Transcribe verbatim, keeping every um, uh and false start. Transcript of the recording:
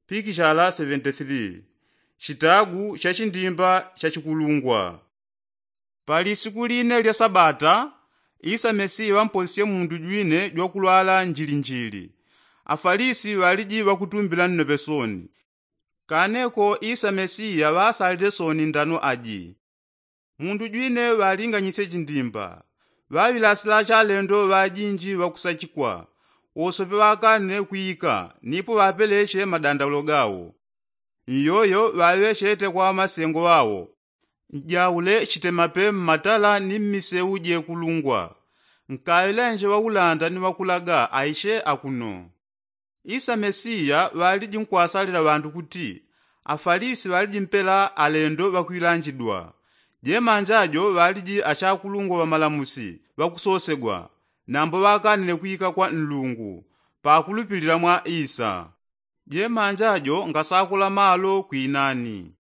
Pikishala seventy three. Chitagu cha chindimba cha chikulungwa. Pali siku line lya sabata, isa mesiya ŵamposisye mundu jwine jwakulwala njilinjili. Afalisi ŵaliji ŵakutumbila nnope soni. Kaneko isa mesiya ŵasalile soni ndano aji. Mundu jwine ŵalinganyisye chindimba. Ŵaŵilasila chalendo ŵajinji ŵakusachikwa. Wosope ŵakanile kwika nipo ŵapeleche madandaulo gawo. Nyoyo ŵaŵechete kwa ŵamasengo ŵawo, njaule chitemape mmatala ni mmiseu jekulungwa. Nkaŵilenje ŵaulanda ni ŵakulaga aiche akuno. Isa mesiya ŵaliji nkwasalila ŵandu kuti afalisi ŵaliji mpela alendo ŵakwilanjidwa. Jemanja jo ŵaliji achakulungwa ŵamalamusi ŵakusosegwa, nambo ŵakanile kwika kwa nlungu pakulupilila mwa isa. Jemanja jo ngasakula malo kwinani.